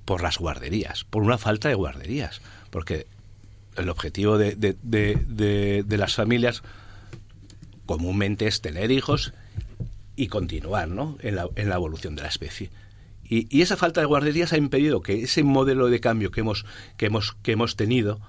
por las guarderías, por una falta de guarderías, porque el objetivo de las familias comúnmente es tener hijos y continuar, ¿no?, en la evolución de la especie. Y esa falta de guarderías ha impedido que ese modelo de cambio que hemos tenido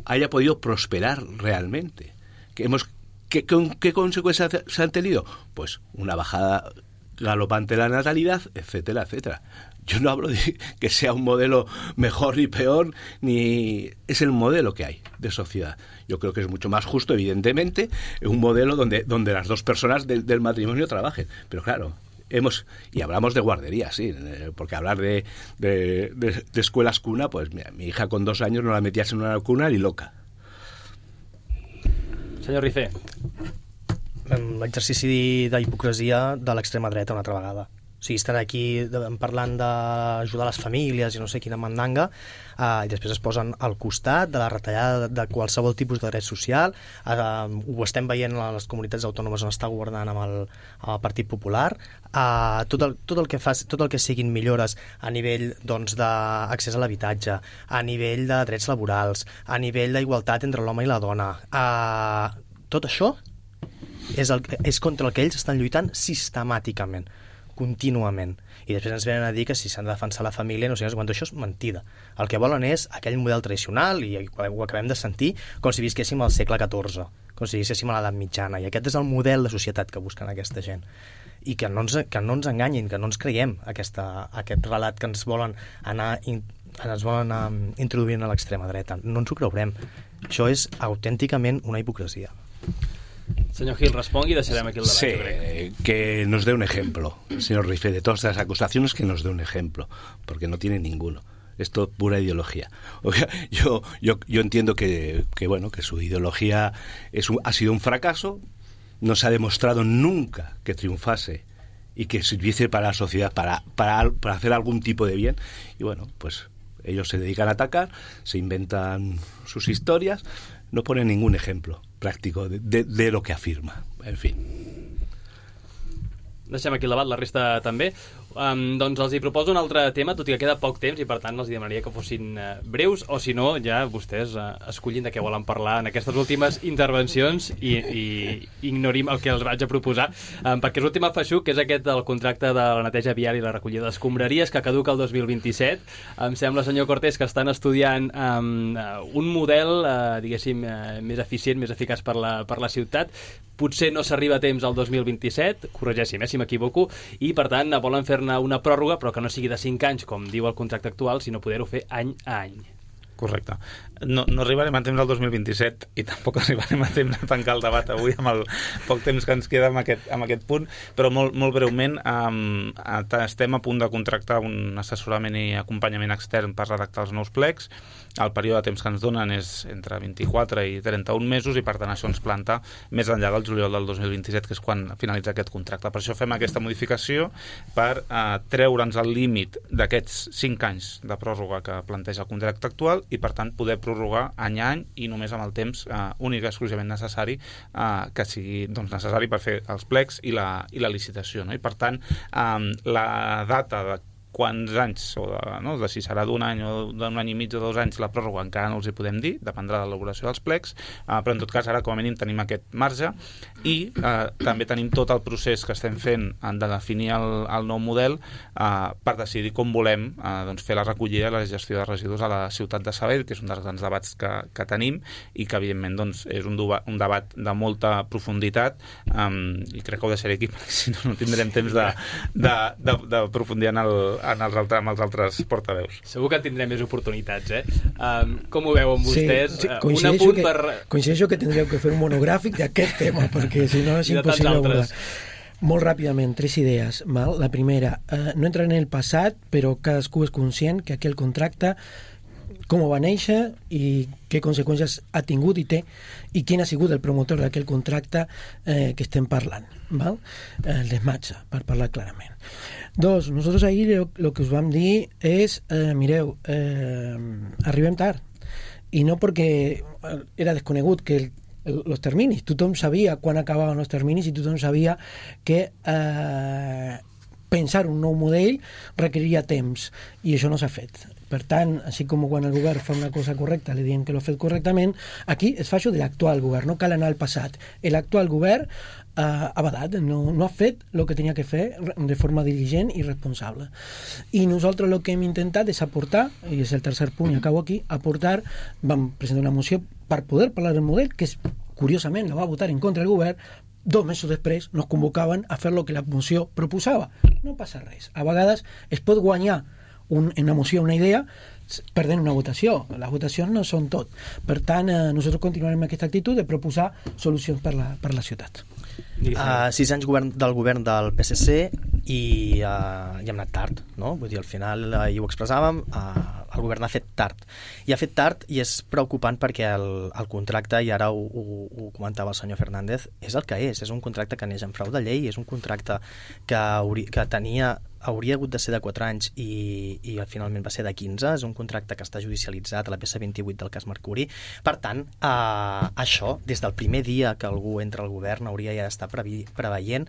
haya podido prosperar realmente. ¿Qué consecuencias se han tenido? Pues una bajada galopante de la natalidad, etcétera, etcétera. Yo no hablo de que sea un modelo mejor ni peor, ni es el modelo que hay de sociedad. Yo creo que es mucho más justo, evidentemente, un modelo donde las dos personas del matrimonio trabajen. Pero claro, y hablamos de guarderías, sí, porque hablar de escuelas cuna, pues mira, mi hija con 2 años no la metías en una cuna ni loca. Senyor Ricé. L'exercici d'hipocresia de l'extrema dreta una altra vegada. O sigui, estan aquí parlant d'ajudar les famílies i no sé quina mandanga, i després es posen al costat de la retallada de qualsevol tipus de dret social. Ho estem veient a les comunitats autònomes on està governant amb el Partit Popular. Tot el que siguin millores a nivell d'accés a l'habitatge, a nivell de drets laborals, a nivell d'igualtat entre l'home i la dona, tot això és contra el que ells estan lluitant sistemàticament, contínuament. I després ens venen a dir que si s'han de defensar la família, no sé quant, això és mentida. El que volen és aquell model tradicional, i ho acabem de sentir, com si visquéssim al segle XIV, com si visquéssim a l'edat mitjana, i aquest és el model de societat que busquen aquesta gent. I que no ens enganyin, que no ens creiem aquest relat que ens volen anar introduint a l'extrema dreta. No ens ho creurem. Això és autènticament una hipocresia. Senyor Gil, respongui y deixarem aquí el debat. Sí, que nos dé un ejemplo, señor Rifé, de todas las acusaciones, que nos dé un ejemplo, porque no tiene ninguno. Esto es pura ideología. Yo entiendo que bueno, que su ideología ha sido un fracaso, no se ha demostrado nunca que triunfase y que sirviese para la sociedad, para hacer algún tipo de bien. Y bueno, pues ellos se dedican a atacar, se inventan sus historias, no ponen ningún ejemplo práctico de lo que afirma. En fin. Deixem aquí el debat, la resta també. Doncs els hi proposo un altre tema, tot i que queda poc temps i per tant els demanaria que fossin breus, o si no, ja vostès escollin de què volen parlar en aquestes últimes intervencions i ignorim el que els vaig a proposar, perquè l'últim feixuc, que és aquest del contracte de la neteja viària i la recollida d'escombraries, que caduca el 2027. Em sembla, senyor Cortés, que estan estudiant un model, diguéssim, més eficient, més eficaç per la ciutat. Potser no s'arriba a temps al 2027, corregeixi'm si m'equivoco, i per tant volen fer-ne una pròrroga, però que no sigui de 5 anys, com diu el contracte actual, sinó poder-ho fer any a any. Correcte. No arribarem a temps al 2027 i tampoc arribarem a temps a tancar el debat avui amb el poc temps que ens queda amb aquest punt, però molt breument estem a punt de contractar un assessorament i acompanyament extern per redactar els nous plecs. El període de temps que ens donen és entre 24 i 31 mesos i per tant això ens planta més enllà del juliol del 2027, que és quan finalitza aquest contracte. Per això fem aquesta modificació per treure'ns el límit d'aquests 5 anys de pròrroga que planteja el contracte actual i per tant poder prorrogar any a any i només amb el temps únic i exclusivament necessari que sigui necessari per fer els plecs i la licitació, no? I per tant la data de quants anys, de si serà d'un any o d'un any i mig o 2 anys la pròrroga encara no els hi podem dir, dependrà de l'elaboració dels plecs, però en tot cas ara com a mínim tenim aquest marge i també tenim tot el procés que estem fent de definir el nou model per decidir com volem fer la recollida i la gestió de residus a la ciutat de Sabadell, que és un dels grans debats que tenim i que evidentment és un debat de molta profunditat i crec que ho deixaré aquí perquè si no tindrem temps d'aprofundir amb els altres portaveus. Segur que tindrem més oportunitats, Com ho veuen vostès? Sí, coincideixo que tindríeu que fer un monogràfic d'aquest tema, perquè si no és impossible abordar. Molt ràpidament, 3 idees. La primera, no entraré en el passat, però cadascú és conscient que aquell contracte com va néixer i què conseqüències ha tingut i té i quin ha sigut el promotor d'aquell contracte que estem parlant. El desmatxa, per parlar clarament. 2, nosotros ahí lo que us vam dir és, mireu, arribem tard. I no perquè era desconegut que els terminis. Tothom sabia quan acabaven els terminis i tothom sabia que pensar un nou model requeriria temps i això no s'ha fet. Per tant, així com quan el govern fa una cosa correcta li diem que l'ha fet correctament, aquí es fa això de l'actual govern, no cal anar al passat. L'actual govern ha badat, no ha fet el que tenia que fer de forma diligent i responsable. I nosaltres el que hem intentat és aportar, i és el tercer punt i acabo aquí, vam presentar una moció per poder parlar del model, que curiosament la va votar en contra el govern. 2 mesos després nos convocaven a fer el que la moció proposava. No passa res. A vegades es pot guanyar en una moció una idea perdent una votació. Les votacions no són tot. Per tant, nosaltres continuarem amb aquesta actitud de proposar solucions per la ciutat. 6 anys del govern del PSC i hem anat tard, no? Vull dir, al final, i ho expressàvem, el govern ha fet tard. I ha fet tard i és preocupant perquè el contracte, i ara ho comentava el senyor Fernández, és el que és un contracte que neix en frau de llei, és un contracte que hauria hagut de ser de 4 anys i finalment va ser de 15, és un contracte que està judicialitzat a la peça 28 del cas Mercuri. Per tant, això, des del primer dia que algú entra al govern, hauria ja d'estar preveient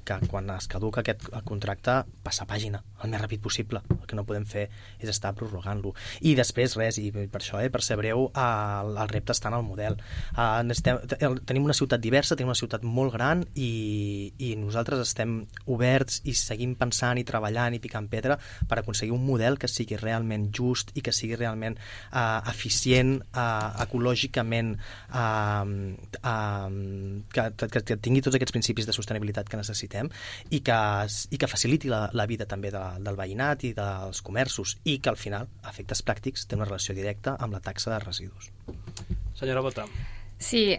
que quan es caduca aquest contracte, passar pàgina el més ràpid possible. El que no podem fer és estar prorrogant-lo. I després, res, i per això, per ser breu, el repte està en el model. Tenim una ciutat diversa, tenim una ciutat molt gran i nosaltres estem oberts i seguim pensant i treballant i picant pedra per aconseguir un model que sigui realment just i que sigui realment eficient, ecològicament, que tingui tots aquests principis de sostenibilitat que necessitem i que faciliti la vida també del veïnat i dels comerços i que al final, a efectes pràctics, té una relació directa amb la taxa de residus. Senyora Bota. Sí,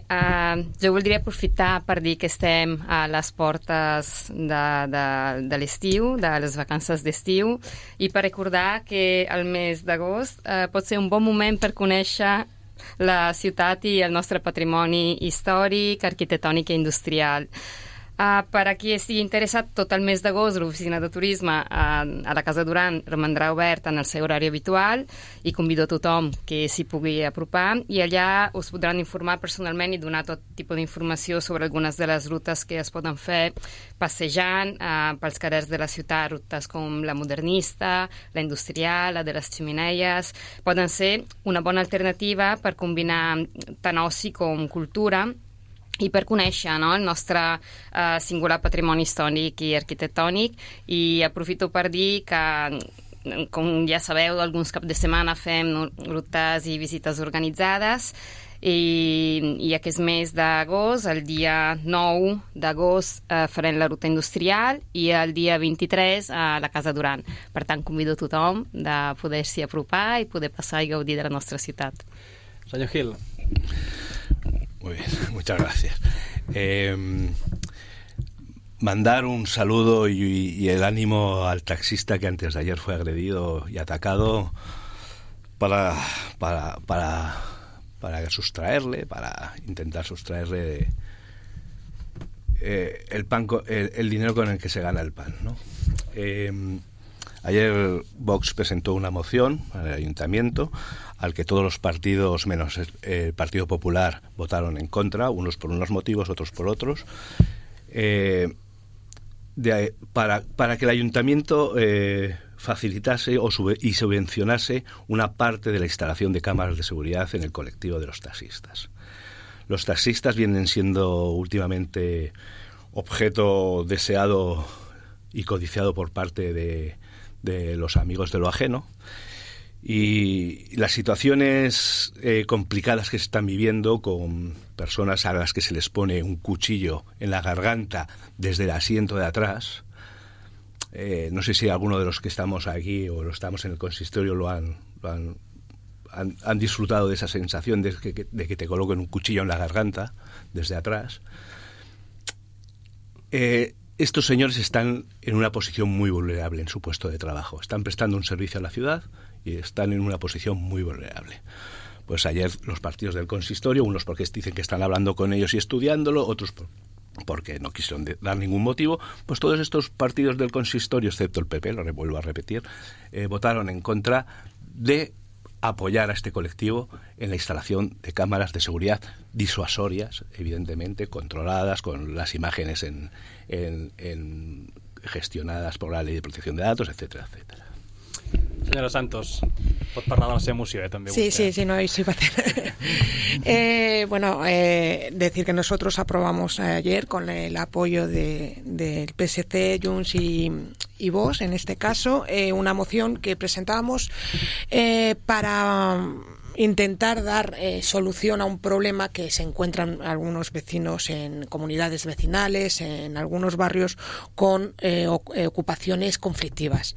jo voldria aprofitar per dir que estem a les portes de l'estiu, de les vacances d'estiu, i per recordar que el mes d'agost pot ser un bon moment per conèixer la ciutat i el nostre patrimoni històric, arquitectònic i industrial. Per a qui estigui interessat, tot el mes d'agost l'oficina de turisme a la Casa Duran romandrà obert en el seu horari habitual i convido a tothom que s'hi pugui apropar, i allà us podran informar personalment i donar tot tipus d'informació sobre algunes de les rutes que es poden fer passejant pels carrers de la ciutat, rutes com la modernista, la industrial, la de les ximeneies. Poden ser una bona alternativa per combinar tant oci com cultura i per conèixer el nostre singular patrimoni històric i arquitectònic. I aprofito per dir que, com ja sabeu, alguns caps de setmana fem rutes i visites organitzades, i aquest mes d'agost, el dia 9 d'agost, farem la ruta industrial i el dia 23 a la Casa Duran. Per tant, convido a tothom de poder-s'hi apropar i poder passar i gaudir de la nostra ciutat. Senyor Gil. Muy bien, muchas gracias. Mandar un saludo y el ánimo al taxista que antes de ayer fue agredido y atacado para sustraerle, para intentar sustraerle el dinero con el que se gana el pan, ¿no? Ayer Vox presentó una moción al Ayuntamiento al que todos los partidos, menos el Partido Popular, votaron en contra, unos por unos motivos, otros por otros, para que el Ayuntamiento facilitase y subvencionase una parte de la instalación de cámaras de seguridad en el colectivo de los taxistas. Los taxistas vienen siendo últimamente objeto deseado y codiciado por parte de los amigos de lo ajeno, y las situaciones complicadas que se están viviendo con personas a las que se les pone un cuchillo en la garganta desde el asiento de atrás. No sé si alguno de los que estamos aquí o estamos en el consistorio han disfrutado de esa sensación de que te coloquen un cuchillo en la garganta desde atrás. Estos señores están en una posición muy vulnerable en su puesto de trabajo. Están prestando un servicio a la ciudad y están en una posición muy vulnerable. Pues ayer los partidos del consistorio, unos porque dicen que están hablando con ellos y estudiándolo, otros porque no quisieron dar ningún motivo, pues todos estos partidos del consistorio, excepto el PP, lo vuelvo a repetir, votaron en contra de apoyar a este colectivo en la instalación de cámaras de seguridad disuasorias, evidentemente controladas, con las imágenes gestionadas por la Ley de Protección de Datos, etcétera, etcétera. Senyora Santos, pot parlar de la seva moció, també sí, vostè. Sí, no, sí va a tener. Decir que nosotros aprobamos ayer con el apoyo del PSC, Junts y Vox, en este caso, una moción que presentábamos para intentar dar solución a un problema que se encuentran algunos vecinos en comunidades vecinales, en algunos barrios con ocupaciones conflictivas.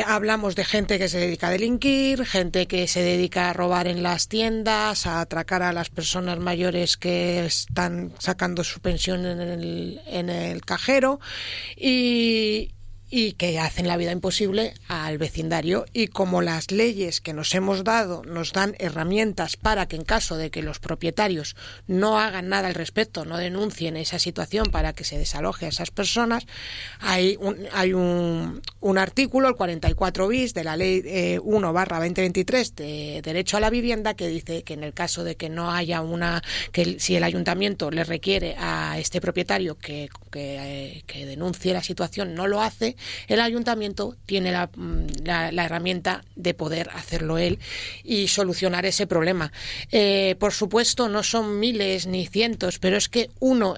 Hablamos de gente que se dedica a delinquir, gente que se dedica a robar en las tiendas, a atracar a las personas mayores que están sacando su pensión en el cajero y que hacen la vida imposible al vecindario. Y como las leyes que nos hemos dado nos dan herramientas para que en caso de que los propietarios no hagan nada al respecto, no denuncien esa situación para que se desaloje a esas personas, hay un artículo, el 44 bis de la Ley 1/2023 de Derecho a la Vivienda, que dice que en el caso de que no haya que si el ayuntamiento le requiere a este propietario que denuncie la situación, no lo hace, el ayuntamiento tiene la herramienta de poder hacerlo él y solucionar ese problema. Por supuesto, no son miles ni cientos, pero es que con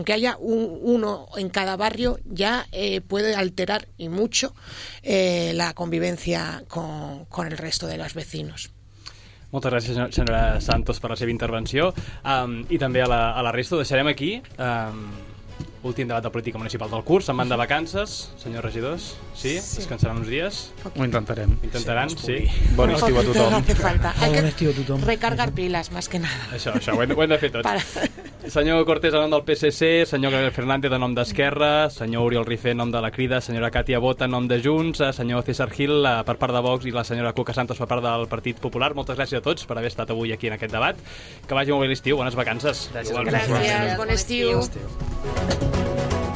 que haya uno en cada barrio ya puede alterar y mucho la convivencia con el resto de los vecinos. Moltes gràcies, senyora Santos, per la seva intervenció, i també a la resta. Ho deixarem aquí. últim debat de política municipal del curs. Se'n van de vacances, senyors regidors? Sí? Descansaran uns dies? Ho intentarem. Intentaran, sí. Bon estiu a tothom. No hace falta. Hay Bon estiu a tothom. recargar pilas, más que nada. Això, ho hem de fer tots. Senyor Cortés, en nom del PSC, senyor Gabriel Fernández, en nom d'Esquerra, senyor Oriol Rifé, en nom de la Crida, senyora Càtia Bota, en nom de Junts, senyor César Gil, per part de Vox, i la senyora Cuca Santos, per part del Partit Popular. Moltes gràcies a tots per haver estat avui aquí en aquest debat. Que vagi molt bé l'estiu, bones vacances. Gràcies. Gràcies, bon estiu. Estiu.